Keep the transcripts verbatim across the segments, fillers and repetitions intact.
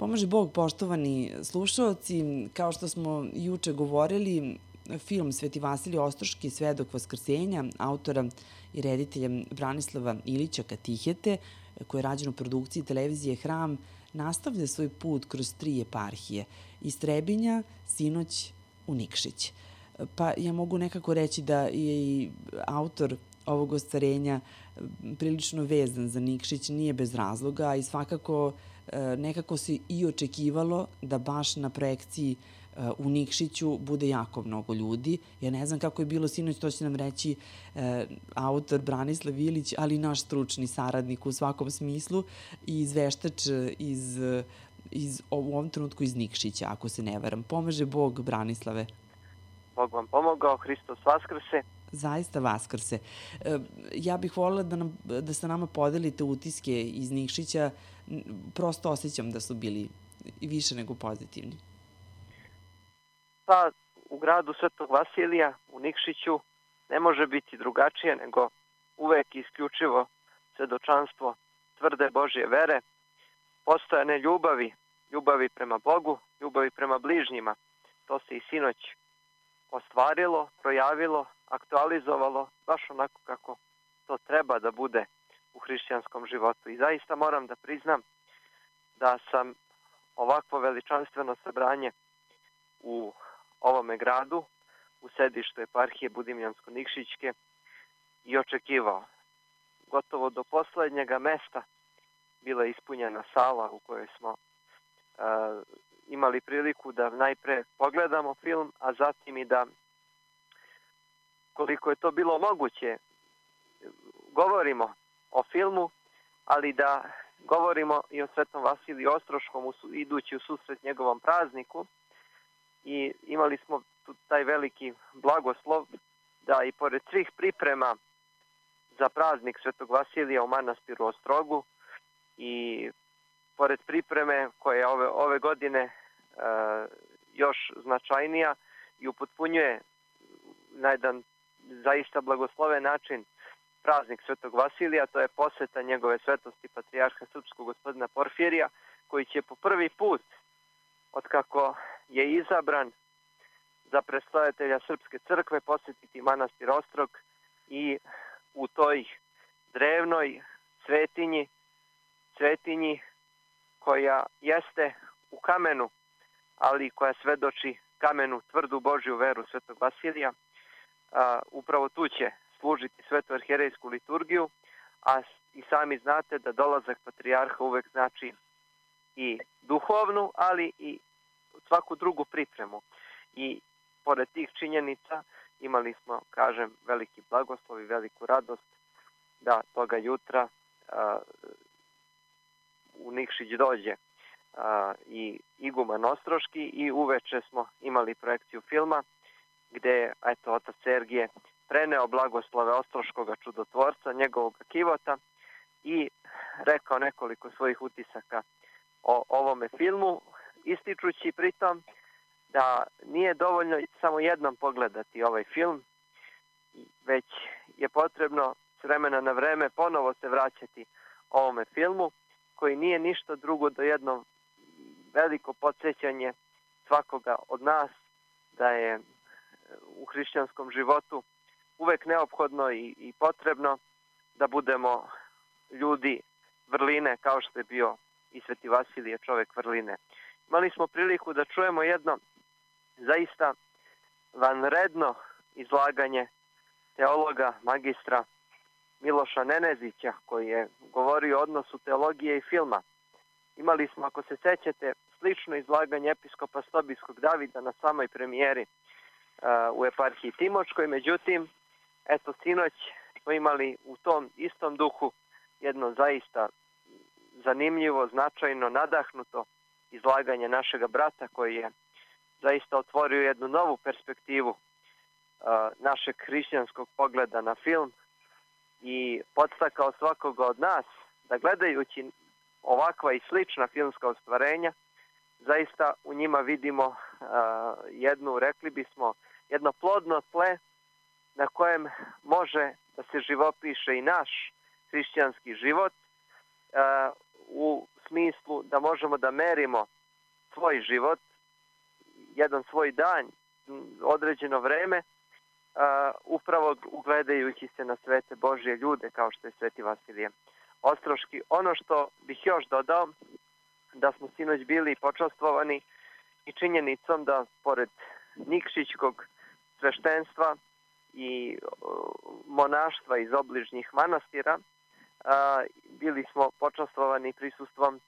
Pomaže Bog, poštovani slušaoci, kao što smo juče govorili, film Sveti Vasilije Ostroški, Svedok Vaskrsenja, autora i reditelja Branislava Ilića Katihete, koji je rađen u produkciji televizije Hram, nastavlja svoj put kroz tri eparhije, iz Trebinja, sinoć u Nikšić. Pa ja mogu nekako reći da je i autor ovog ostvarenja prilično vezan za Nikšić, nije bez razloga i svakako nekako se i očekivalo da baš na projekciji u Nikšiću bude jako mnogo ljudi. Ja ne znam kako je bilo sinoć, to će nam reći autor Branislav Ilić, ali i naš stručni saradnik u svakom smislu i izveštač iz, iz, u ovom trenutku iz Nikšića, ako se ne varam. Pomaže Bog, Branislave. Bog vam pomogao, Hristos vaskrse. Zaista vaskrse. Ja bih voljela da, nam, da sa nama podelite utiske iz Nikšića. Prosto osjećam da su bili više nego pozitivni. Pa, u gradu Svetog Vasilija, u Nikšiću, ne može biti drugačije nego uvek isključivo svedočanstvo tvrde Božje vere, postojane ljubavi, ljubavi prema Bogu, ljubavi prema bližnjima. To se i sinoć ostvarilo, projavilo, aktualizovalo, baš onako kako to treba da bude u hrišćanskom životu. I zaista moram da priznam da sam ovakvo veličanstveno sabranje u ovome gradu, u sedištu eparhije Budimljansko-Nikšićke, i očekivao. Gotovo do poslednjega mesta bila je ispunjena sala u kojoj smo uh, imali priliku da najpre pogledamo film, a zatim i da, koliko je to bilo moguće, govorimo o filmu, ali da govorimo i o Svetom Vasiliju Ostroškom idući u susret njegovom prazniku. I imali smo tu taj veliki blagoslov da i pored svih priprema za praznik Svetog Vasilija u manastiru Ostrogu i pored pripreme koja je ove, ove godine e, još značajnija i upotpunjuje na jedan zaista blagosloven način praznik Svetog Vasilija, to je poseta njegove svetosti patrijarha srpskog gospodina Porfirija, koji će po prvi put, otkako je izabran za predstavitelja Srpske crkve, posetiti manastir Ostrog i u toj drevnoj svetinji, svetinji koja jeste u kamenu, ali koja svedoči kamenu tvrdu Božju veru Svetog Vasilija, a, upravo tu će služiti svetu arhijerejsku liturgiju, a i sami znate da dolazak patrijarha uvek znači i duhovnu, ali i svaku drugu pripremu. I pored tih činjenica imali smo, kažem, veliki blagoslov i veliku radost da toga jutra a, u Nikšić dođe a, i iguman Ostroški i uveče smo imali projekciju filma gde je, eto, otac Sergije preneo blagoslove Ostroškoga čudotvorca, njegovog kivota, i rekao nekoliko svojih utisaka o ovome filmu, ističući pritom da nije dovoljno samo jednom pogledati ovaj film, već je potrebno s vremena na vreme ponovo se vraćati ovome filmu, koji nije ništa drugo do jedno veliko podsjećanje svakoga od nas da je u hrišćanskom životu uvek neophodno i, i potrebno da budemo ljudi vrline, kao što je bio i Sveti Vasilije, čovek vrline. Imali smo priliku da čujemo jedno zaista vanredno izlaganje teologa, magistra Miloša Nenezića, koji je govorio o odnosu teologije i filma. Imali smo, ako se sećate, slično izlaganje episkopa Stobijskog Davida na samoj premijeri uh, u eparhiji Timočkoj. Međutim, eto, sinoć smo imali u tom istom duhu jedno zaista zanimljivo, značajno, nadahnuto izlaganje našega brata, koji je zaista otvorio jednu novu perspektivu uh, našeg hrišćanskog pogleda na film i podstakao svakoga od nas da, gledajući ovakva i slična filmska ostvarenja, zaista u njima vidimo uh, jednu, rekli bismo, jedno plodno tle na kojem može da se živopiše i naš hrišćanski život uh, u smislu da možemo da merimo svoj život, jedan svoj dan, određeno vreme, Uh, upravo ugledajući se na svete Božje ljude kao što je Sveti Vasilije Ostroški. Ono što bih još dodao, da smo sinoć bili počastvovani i činjenicom da pored Nikšićkog sveštenstva i uh, monaštva iz obližnjih manastira uh, bili smo počastvovani prisustvom, uh,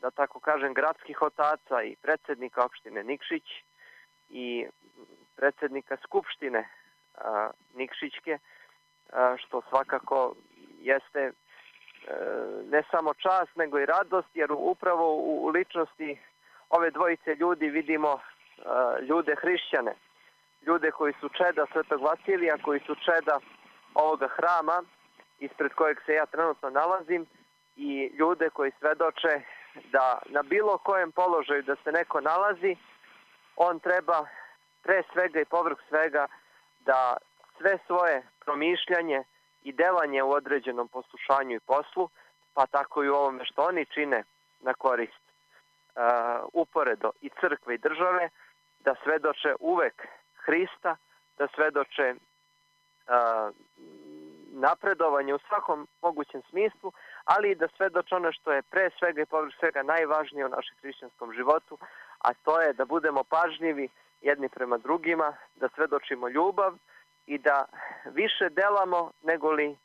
da tako kažem, gradskih otaca i predsednika opštine Nikšić i predsednika Skupštine a, Nikšićke, a, što svakako jeste a, ne samo čast, nego i radost, jer upravo u, u ličnosti ove dvojice ljudi vidimo a, ljude hrišćane, ljude koji su čeda Svetog Vasilija, koji su čeda ovoga hrama ispred kojeg se ja trenutno nalazim, i ljude koji svedoče da na bilo kojem položaju da se neko nalazi, on treba pre svega i povrh svega da sve svoje promišljanje i delanje u određenom poslušanju i poslu, pa tako i u ovome što oni čine na korist uh, uporedo i crkve i države, da svedoče uvek Hrista, da svedoče uh, napredovanje u svakom mogućem smislu, ali i da svedoče ono što je pre svega i povrh svega najvažnije u našem hrišćanskom životu, a to je da budemo pažljivi jedni prema drugima, da svedočimo ljubav i da više delamo nego li uh,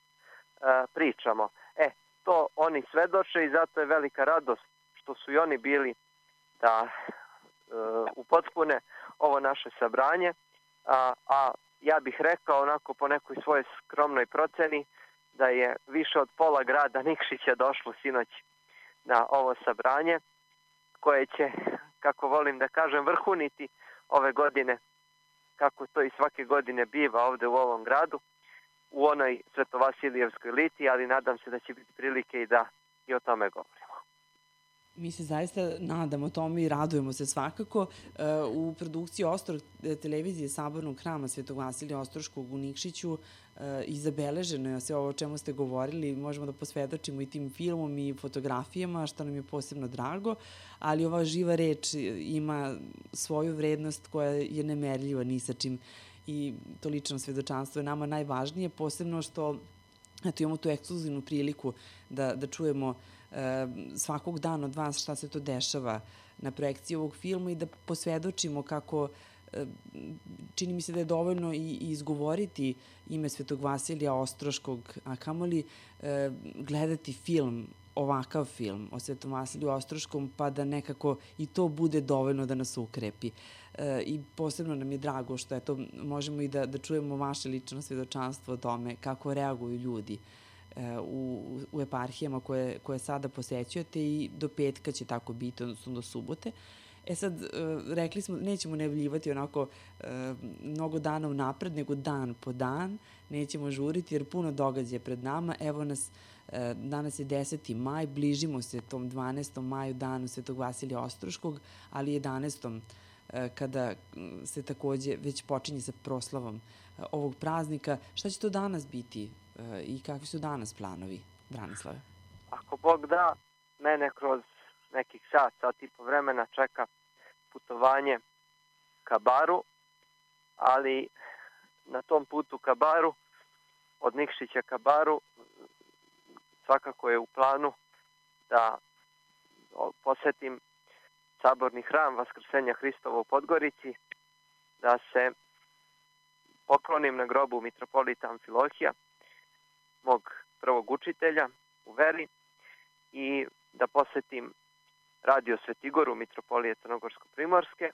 pričamo. E, to oni svedoče i zato je velika radost što su i oni bili da uh, upotpune ovo naše sabranje, a, a ja bih rekao onako po nekoj svojoj skromnoj proceni da je više od pola grada Nikšića došlo sinoć na ovo sabranje, koje će, kako volim da kažem, vrhuniti ove godine, kako to i svake godine biva ovde u ovom gradu, u onoj Svetovasilijevskoj liti, ali nadam se da će biti prilike i da i o tome govorimo. Mi se zaista nadamo tome i radujemo se svakako. U produkciji Ostrog televizije Sabornog hrama Svetog Vasilija Ostroškog u Nikšiću i zabeleženo je sve ovo o čemu ste govorili. Možemo da posvedočimo i tim filmom i fotografijama, što nam je posebno drago, ali ova živa reč ima svoju vrednost koja je nemerljiva ni sa čim, i to lično svedočanstvo je nama najvažnije, posebno što eto, imamo tu ekskluzivnu priliku da, da čujemo svakog dana od vas šta se to dešava na projekciji ovog filma i da posvedočimo kako čini mi se da je dovoljno i izgovoriti ime Svetog Vasilija Ostroškog, a kamoli gledati film, ovakav film o Svetom Vasiliju Ostroškom, pa da nekako i to bude dovoljno da nas ukrepi. I posebno nam je drago što eto, možemo i da, da čujemo vaše lično svedočanstvo o tome kako reaguju ljudi u, u eparhijama koje, koje sada posećujete, i do petka će tako biti, odnosno do subote. E sad, rekli smo, nećemo najavljivati onako mnogo dana unapred, nego dan po dan, nećemo žuriti jer puno događaja pred nama. Evo nas, danas je deseti maj, bližimo se tom dvanaestom maju, danu Svetog Vasilija Ostroškog, ali jedanaestom kada se takođe već počinje sa proslavom ovog praznika. Šta će to danas biti i kakvi su danas planovi, Branislave? Ako Bog da, mene kroz nekih sat, sat i po vremena čeka putovanje ka Baru, ali na tom putu ka Baru, od Nikšića ka Baru, svakako je u planu da posetim Saborni hram Vaskrsenja Hristova u Podgorici, da se poklonim na grobu mitropolita Amfilohija, mog prvog učitelja u veri, i da posetim Radio Svetigoru mitropolije Crnogorsko-Primorske,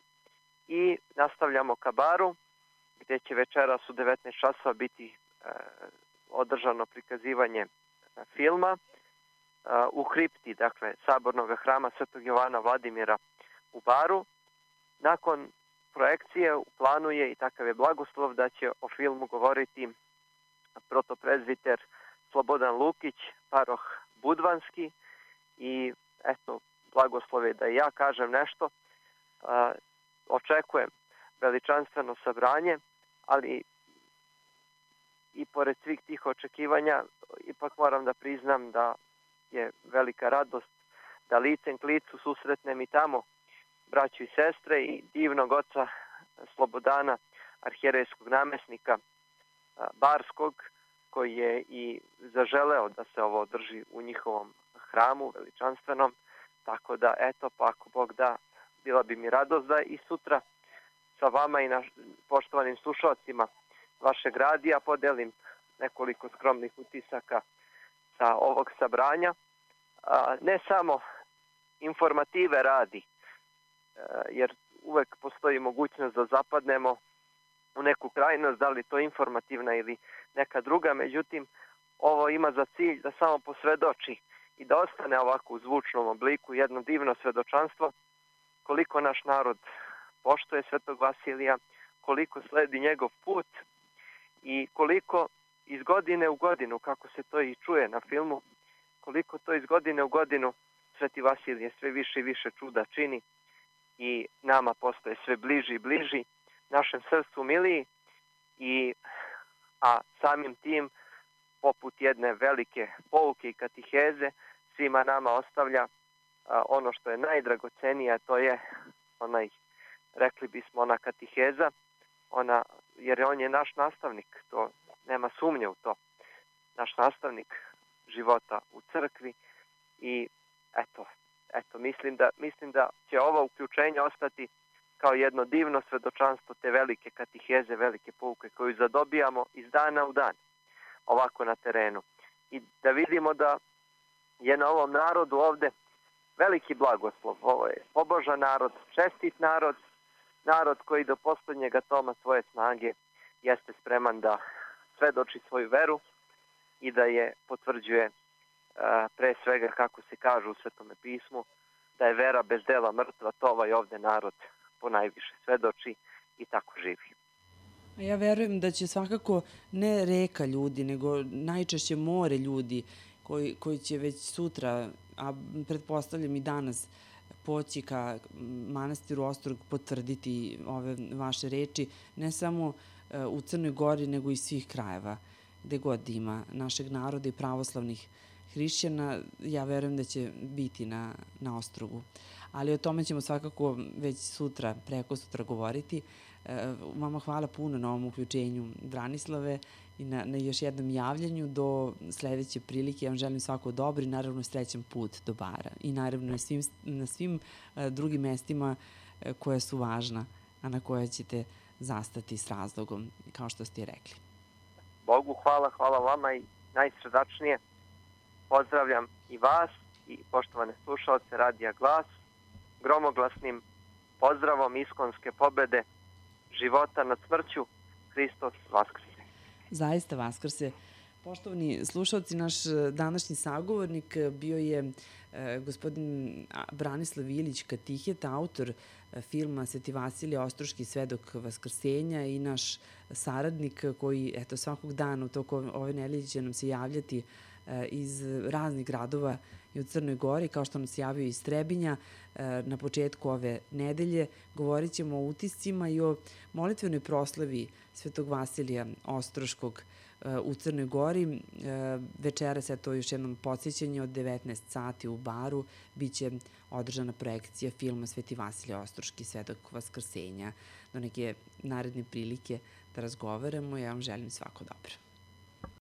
i nastavljamo ka Baru, gde će večeras u devetnaest časova biti e, održano prikazivanje filma e, u kripti, dakle, Sabornog hrama Svetog Jovana Vladimira u Baru. Nakon projekcije u planu je, i takav je blagoslov, da će o filmu govoriti protoprezbiter Slobodan Lukić, paroh Budvanski, i eto, blagoslov je da i ja kažem nešto. Uh, očekujem veličanstveno sabranje, ali i pored svih tih očekivanja ipak moram da priznam da je velika radost da licem k licu susretnem i tamo braću i sestre i divnog oca Slobodana, arhijerejskog namesnika Barskog, koji je i zaželeo da se ovo održi u njihovom hramu veličanstvenom. Tako da, eto, pa ako Bog da, bila bi mi radost da i sutra sa vama i naš, poštovanim slušalcima vašeg radija podelim nekoliko skromnih utisaka sa ovog sabranja. A, ne samo informative radi, a, jer uvek postoji mogućnost da zapadnemo u neku krajnost, da li to informativna ili neka druga, međutim, ovo ima za cilj da samo posvedoči i da ostane ovako u zvučnom obliku jedno divno svedočanstvo koliko naš narod poštuje Svetog Vasilija, koliko sledi njegov put i koliko iz godine u godinu, kako se to i čuje na filmu, koliko to iz godine u godinu Sveti Vasilije sve više i više čuda čini i nama postaje sve bliži i bliži, našem srcu miliji, i, a samim tim, poput jedne velike pouke i katiheze, svima nama ostavlja a, ono što je najdragocenije, to je onaj, rekli bismo, ona katiheza, ona, jer on je naš nastavnik, to nema sumnje u to, naš nastavnik života u crkvi i eto, eto mislim da, mislim da će ovo uključenje ostati kao jedno divno svedočanstvo te velike katiheze, velike pouke koju zadobijamo iz dana u dan, ovako na terenu. I da vidimo da je na ovom narodu ovde veliki blagoslov. Ovo je pobožan narod, čestit narod, narod koji do poslednjega toma svoje snage jeste spreman da svedoči svoju veru i da je potvrđuje pre svega, kako se kaže u Svetome pismu, da je vera bez dela mrtva, to ovaj ovde narod ponajviše svedoči i tako živi. Ja verujem da će svakako ne reka ljudi, nego najčešće more ljudi koji, koji će već sutra, a pretpostavljam i danas, poći ka manastiru Ostrog potvrditi ove vaše reči, ne samo u Crnoj Gori, nego i svih krajeva, gde god ima našeg naroda i pravoslavnih hrišćana. Ja verujem da će biti na, na Ostrogu. Ali o tome ćemo svakako već sutra, preko sutra govoriti. Vama hvala puno na ovom uključenju, Branislave, i na, na još jednom javljanju. Do sledeće prilike ja vam želim svako dobro i naravno srećan put do Bara. I naravno na svim, na svim drugim mestima koja su važna, a na koja ćete zastati s razlogom, kao što ste rekli. Bogu hvala, hvala vama i najsredačnije pozdravljam i vas i poštovane slušalce Radija Glas gromoglasnim pozdravom iskonske pobede, života nad smrću, Hristos Vaskrse. Zaista Vaskrse. Poštovani slušalci, naš današnji sagovornik bio je gospodin Branislav Ilić Katihet, autor filma Sveti Vasilije Ostroški, svedok Vaskrsenja, i naš saradnik koji, eto, svakog dana u toku ove nedelje će nam se javljati iz raznih gradova i u Crnoj Gori, kao što nam se javio iz Trebinja. Na početku ove nedelje govorit ćemo o utiscima i o molitvenoj proslavi Svetog Vasilija Ostroškog u Crnoj Gori. Večeras, eto, još jednom podsjećanje, od devetnaest sati u Baru biće održana projekcija filma Sveti Vasilije Ostroški, svedok Vaskrsenja. Do neke naredne prilike da razgovaramo, ja vam želim svako dobro.